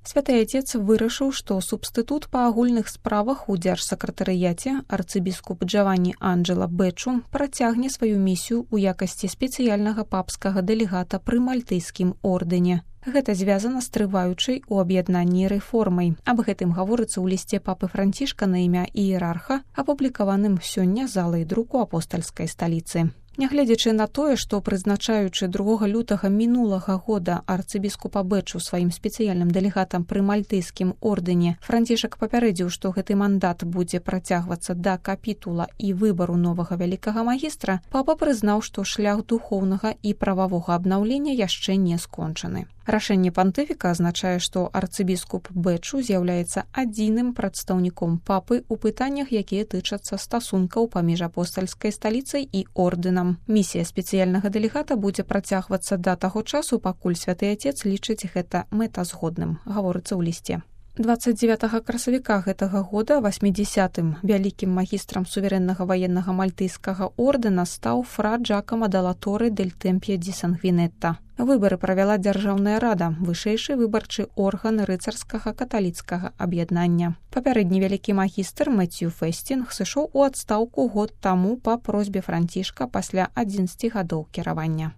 Святы Отец вырашыў, што субстытут па агульных справах у дзяржсакратарыяце арцыбіскуп Джаванні Анджела Бэчу працягне сваю місію ў якасці спецыяльнага папскага дэлегата пры мальтыйскім ордэне. Гэта звязана з трываючай у аб'яднанні рэформай. Аб гэтым гаворыцца ў лісце папы Францішка на імя іерарха, апублікаваным сёння залай друку апостальскай сталіцы. Нягледзячы на тое, што прызначаючы 2 лютага мінулага года арцыбіскупа Бэчу сваім спецыяльным дэлегатам пры мальтыйскім ордэне, Францішак папярэдзіў, што гэты мандат будзе працягвацца да капітула і выбару новага вялікага магістра, папа прызнаў, што шлях духоўнага і прававога абнаўлення яшчэ не скончаны. Рашэнне пантыфіка азначае, што арцыбіскуп Бэчу з'яўляецца адзіным прадстаўніком папы ў пытаннях, якія тычацца стасункаў паміж апостальскай сталіцай і ордэнам. Місія спецыяльнага дэлегата будзе працягвацца да таго часу, пакуль Святы Отец лічыць гэта мэтазгодным, гаворыцца ў лісце. 29 красавіка гэтага года 80-м вялікім магістрам суверэннага ваеннага мальтыйскага ордэна стаў фра Джакомо Делла Торре дель Темпье ди Сангвінетта. Выбары правяла Дзяржаўная рада, вышэйшы выбарчы орган рыцарскага каталіцкага аб'яднання. Папярэдні вялікі магістр Мэцью Фэстінг сышоў у адстаўку год таму па просьбе Францішка пасля 11 гадоў кіравання.